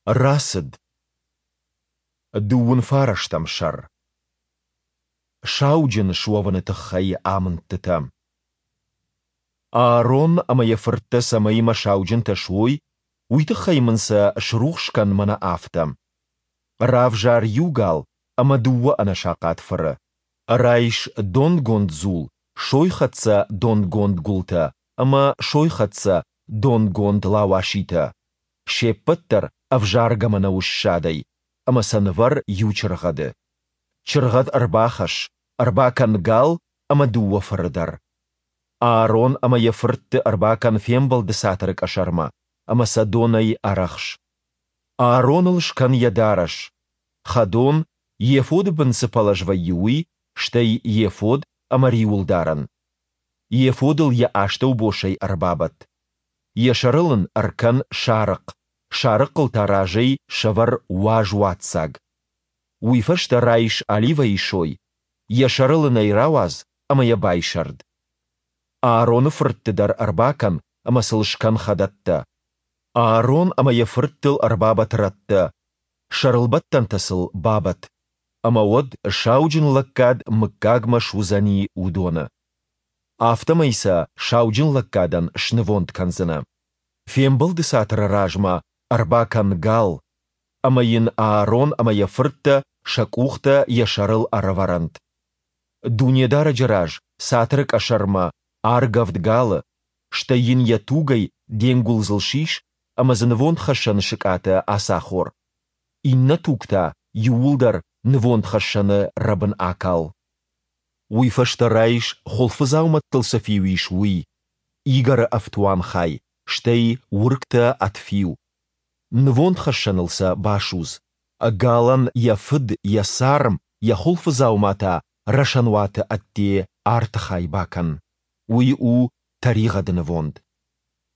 Рацыд. Дыууын фарӕстӕм сӕр. Сауджын суӕвыны тыххӕй амындтытӕ. Аарон ӕмӕ йӕ фырттӕ цӕмӕй мӕ сауджынтӕ суой, уый тыххӕй мын сӕ срухс кӕн мӕнӕ афтӕ. Равзар иу гал ӕмӕ дыууӕ ӕнӕсахъат фыры. Райс донгонд дзул, сойхӕццӕ донгонд гуылтӕ ӕмӕ сойхӕццӕ донгонд лауаситӕ, се ппӕт дӕр ӕвзаргӕ мӕнӕуы ссадӕй, ӕмӕ сӕ нывӕр иу чыргъӕды. Чыргъӕд ӕрбахӕсс, ӕрбакӕн гал ӕмӕ дыууӕ фыры дӕр. Аарон ӕмӕ йӕ фыртты ӕрбакӕн Фембӕлды Цатыры къӕсӕрмӕ ӕмӕ сӕ донӕй ӕрӕхс. Аароныл скӕн йӕ дарӕс, хӕдон, ефоды бын цы пӕлӕз вӕййы, уый, стӕй ефод ӕмӕ риуылдарӕн. Ефодыл йӕ астӕубосӕй ӕрбабӕтт. Йӕ сӕрыл ын ӕркӕн сарыхъ, сарыхъыл та разӕй сӕвӕр уаз уадздзаг. Уый фӕстӕ райс оливӕйы сой, йӕ сӕрыл ын ӕй рауадз ӕмӕ йӕ байсӕрд. Аароны фыртты дӕр ӕрбакӕн ӕмӕ сыл скӕн хӕдӕттӕ. Аарон ӕмӕ йӕ фырттыл ӕрбабӕтт рӕттӕ, сӕрылбӕттӕнтӕ сыл бабӕтт, ӕмӕ уӕд сауджын лӕггад мыггагмӕ суыдзӕни уыдоны. Афтӕмӕй сӕ сауджын лӕггадӕн снывонд кӕндзынӕ. Фембӕлды цатыры размӕ ӕрбакӕн гал, ӕмӕ йын Аарон ӕмӕ йӕ фырттӕ сӕ къухтӕ йӕ сӕрыл ӕрӕвӕрӕнт. Дунедарӕджы раз цатыры къӕсӕрмӕ аргӕвд галы, стӕй йын йӕ тугӕй де нгуылдзыл сис ӕмӕ дзы нывондхӕссӕны сыкъатӕ ацахор. Иннӕ туг та иууылдӕр нывондхӕссӕны рӕбын акал. Уый фӕстӕ райс, хуылфыдзаумӕттыл цы фиу ис, уый, игӕры ӕфтуанхай, стӕй уыргтӕ ӕд фиу. Нывондхӕссӕныл сӕ басудз. Галӕн йӕ фыд, йӕ царм, йӕ хуылфыдзаума та рӕсӕнуаты ӕдде арты хай бакӕн. Уый у тӕригъӕды нывонд.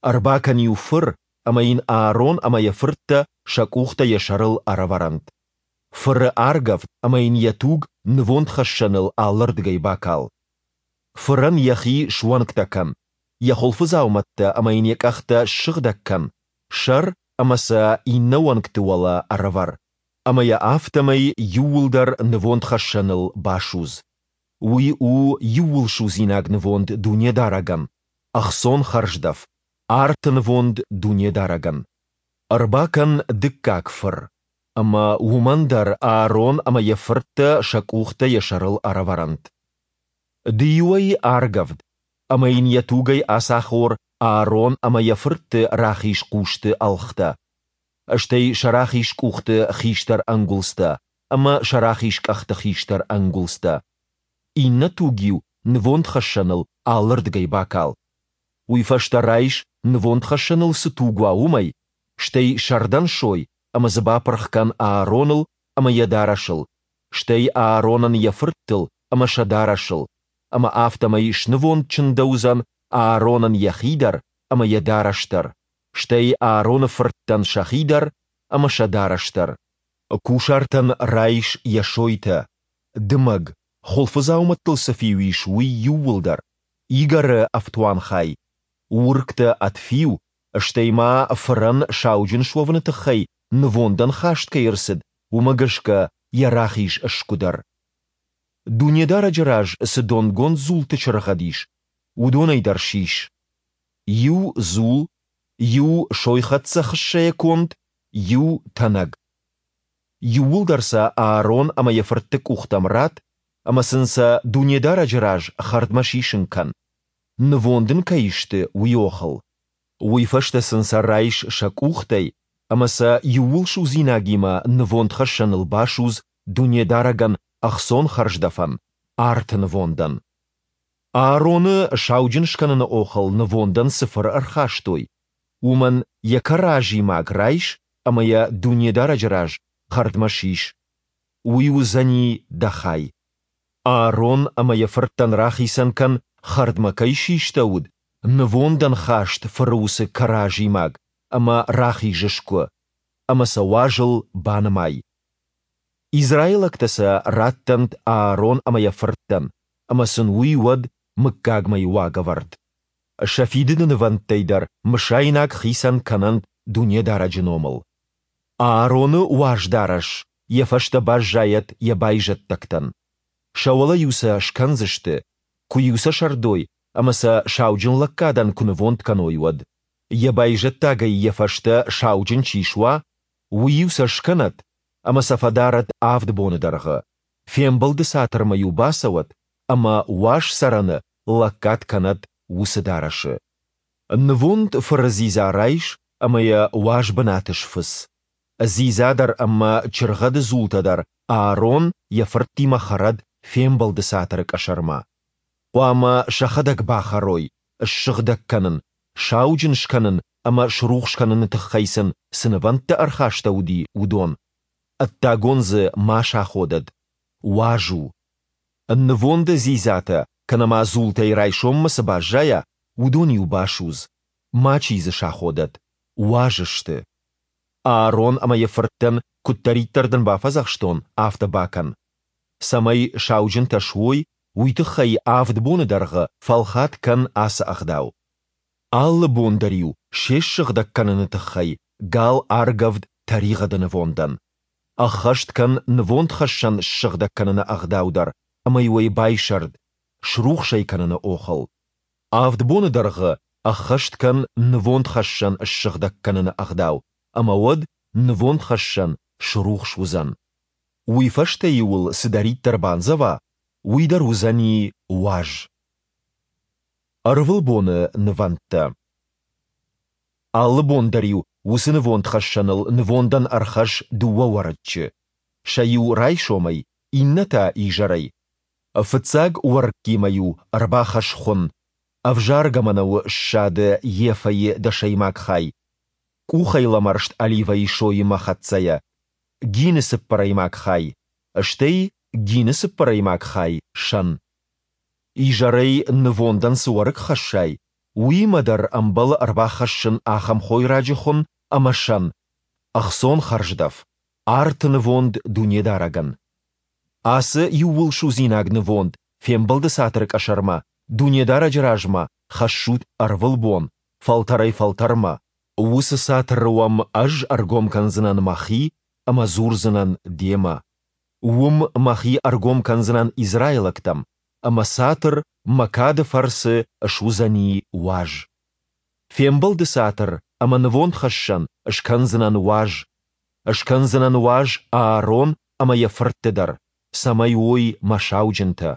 Ӕрбакӕн-иу фыр, ӕмӕ йын Аарон ӕмӕ йӕ фырттӕ сӕ къухтӕ йӕ сӕрыл ӕрӕвӕрӕнт. Фыры аргӕвд ӕмӕ йын йӕ туг нывондхӕссӕныл алырдыгӕй бакал. Фырӕн йӕхи суӕнгтӕ кӕн, йӕ хуылфыдзаумӕттӕ ӕмӕ йын йӕ къӕхтӕ ссыгъдӕг кӕн, сӕр ӕмӕ сӕ иннӕ уӕнгты уӕлӕ ӕрӕвӕр, ӕмӕ йӕ афтӕмӕй иууылдӕр нывондхӕссӕныл басудз. Уый у иууылсудзинаг нывонд Дунедарӕгӕн, ӕхцон хӕрздӕф, арты нывонд Дунедарӕгӕн. Ӕрбакӕн дыккаг фыр, ӕмӕ уымӕн дӕр Аарон ӕмӕ йӕ фырттӕ сӕ къухтӕ йӕ сӕрыл ӕрӕвӕрӕнт. Ды-иу ӕй аргӕвд, ӕмӕ йын йӕ тугӕй ацахор Аарон ӕмӕ йӕ фыртты рахиз хъусты ӕлгътӕ, стӕй сӕ рахиз къухты хистӕр ӕнгуылдзтӕ ӕмӕ сӕ рахиз къӕхты хистӕр ӕнгуылдзтӕ. Иннӕ туг-иу нывондхӕссӕныл алырдыгӕй бакал. Уый фӕстӕ райс, нывондхӕссӕныл цы туг уа, уымӕй, стӕй сӕрдӕн сой ӕмӕ дзы бапырх кӕн Аароныл ӕмӕ йӕ дарӕсыл, стӕй Ааронӕн йӕ фырттыл ӕмӕ сӕ дарӕсыл, ӕмӕ афтӕмӕй снывонд чындӕуыдзӕн Ааронӕн йӕхи дӕр ӕмӕ йӕ дарӕс дӕр, стӕй Аароны фырттӕн сӕхи дӕр ӕмӕ сӕ дарӕс дӕр. Кусартӕн райс йӕ сойтӕ, дымӕг, хуылфыдзаумӕттыл цы фиу ис, уый иууылдӕр, игӕры ӕфтуанхай, уыргтӕ ӕд фиу, стӕй ма фырӕн сауджын суӕвыны тыххӕй нывондӕн хаст кӕй ӕрцыд, уымӕ гӕсгӕ йӕ рахиз сгуы дӕр. Дунедарӕджы раз цы донгонд дзулты чыргъӕд ис, уыдонӕй дӕр сис. Иу дзул, иу сойхӕццӕ хыссӕйӕ конд, иу тӕнӕг. Иууылдӕр сӕ Аарон ӕмӕ йӕ фыртты къухтӕм ратт ӕмӕ сын сӕ Дунедарӕджы раз хӕрдмӕ сисын кӕн, нывонд ын кӕй сты, уый охыл. Уый фӕстӕ сын сӕ райс сӕ къухтӕй ӕмӕ сӕ иууылсудзинагимӕ нывондхӕссӕныл басудз Дунедарӕгӕн ӕхцон хӕрздӕфӕн, арты нывондӕн. Аароны сауджын скӕныны охыл нывондӕн цы фыр ӕрхастой, уымӕн йӕ кӕразимаг райс ӕмӕ йӕ Дунедарӕджы раз хӕрдмӕ сис. Уый уыдзӕни дӕ хай. Аарон ӕмӕ йӕ фырттӕн рахицӕн кӕн, хӕрдмӕ кӕй систӕуыд, нывондӕн хаст фыры уыцы кӕразимаг ӕмӕ рахиз сгуы, ӕмӕ сӕ уазыл банымай. Израилӕгтӕ сӕ раттӕнт Аарон ӕмӕ йӕ фырттӕн, ӕмӕ сын уый уӕд мыггагмӕйы уагӕвӕрд. Сӕ фидыды нывӕндтӕй дӕр мысайнаг хицӕн кӕнӕнт Дунедарӕджы номыл. Аароны уаз дарӕс йӕ фӕстӕ баззайӕд йӕ байзӕддӕгтӕн. Сӕ уӕлӕ-иу сӕ скӕндзысты, куы-иу сӕ сӕрдой ӕмӕ сӕ сауджынлӕггадӕн куы нывонд кӕной, уӕд. Йӕ байзӕддагӕй йӕ фӕстӕ сауджын чи суа, уый-иу сӕ скӕнӕд ӕмӕ сӕ фӕдарӕд авд боны дӕргъы. Фембӕлды цатырмӕ-иу бацӕуӕд ӕмӕ Уаз Цӕрӕны лӕггад кӕнӕд уыцы дарӕсы. Нывонд фыры дзидза райс ӕмӕ йӕ уаз бынаты сфыц. Дзидза дӕр ӕмӕ чыргъӕды дзултӕ дӕр Аарон йӕ фырттимӕ хӕрӕд Фембӕлды цатыры къӕсӕрмӕ. Хъуамӕ сӕхӕдӕг бахӕрой, ссыгъдӕг кӕнын, сауджын скӕнын ӕмӕ срухс кӕныны тыххӕй сын цы нывӕндтӕ ӕрхастӕуыди, уыдон, ӕддагон дзы ма саходӕд, уаз у. Нывонды дзидзатӕ кӕнӕ ма дзултӕй райсоммӕ цы баззайа, уыдон-иу басудз, мачи дзы саходӕд, уаз сты. Аарон ӕмӕ йӕ фырттӕн, куыддӕриддӕр дын бафӕдзӕхстон, афтӕ бакӕн. Цӕмӕй сауджынтӕ суой, уый тыххӕй авд боны дӕргъы фӕлхат кӕн ацы ӕгъдау. Алы бон дӕр-иу се ссыгъдӕг кӕныны тыххӕй гал аргӕвд тӕригъӕды нывондӕн. Ӕххӕст кӕн нывондхӕссӕн ссыгъдӕг кӕныны ӕгъдау дӕр ӕмӕ-иу ӕй байсӕрд, срухс ӕй кӕныны охыл. Авд боны дӕргъы ӕххӕст кӕн нывондхӕссӕн ссыгъдӕг кӕныны ӕгъдау, ӕмӕ уӕд нывондхӕссӕн срухс уыдзӕн. Уый фӕстӕ-иу ыл цыдӕриддӕр бандзӕва, уый дӕр уыдзӕни уаз. Ӕрвылбоны нывӕндтӕ. Алы бон дӕр-иу уыцы нывондхӕссӕныл нывондӕн ӕрхӕсс дыууӕ уӕрыччы, сӕ иу райсомӕй, иннӕ та изӕрӕй. Фыццаг уӕрыккимӕ-иу ӕрбахӕсс хуын, ӕвзаргӕ мӕнӕуы ссады ефӕйы дӕсӕймаг хай, къухӕй лӕмӕрст оливӕйы соимӕ хӕццӕйӕ, гины цыппӕрӕймаг хай, стӕй гины цыппӕрӕймаг хай сӕн. Изӕрӕй нывондӕн цы уӕрыкк хӕссай, уыимӕ дӕр ӕмбӕлы ӕрбахӕссын ахӕм хойраджы хуын ӕмӕ сӕн, ӕхцон хӕрздӕф, арты нывонд Дунедарӕгӕн. Ацы иууылсудзинаг нывонд Фембӕлды Цатыры къӕсӕрмӕ, Дунедарӕджы размӕ, хӕссут ӕрвылбон, фӕлтӕрӕй-фӕлтӕрмӕ. Уыцы цатыры уӕм Ӕз ӕргом кӕндзынӕн Мӕхи ӕмӕ дзурдзынӕн демӕ. Уым Мӕхи ӕргом кӕндзынӕн израилӕгтӕм, ӕмӕ цатыр Мӕ кады фӕрцы суыдзӕни уаз. Фембӕлды цатыр ӕмӕ нывондхӕссӕн скӕндзынӕн уаз. Скӕндзынӕн уаз Аарон ӕмӕ йӕ фыртты дӕр, цӕмӕй уой мӕ сауджынтӕ.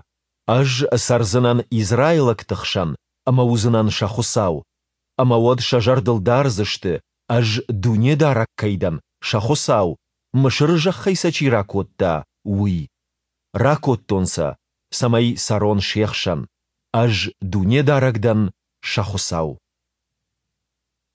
Ӕз цӕрдзынӕн израилӕгты хсӕн ӕмӕ уыдзынӕн сӕ Хуыцау. Ӕмӕ уӕд сӕ зӕрдыл дардзысты, Ӕз Дунедарӕг кӕй дӕн, сӕ Хуыцау, Мысыры зӕххӕй сӕ чи ракодта, уый. Ракодтон сӕ, цӕмӕй цӕрон се хсӕн. Ӕз Дунедарӕг дӕн, сӕ Хуыцау.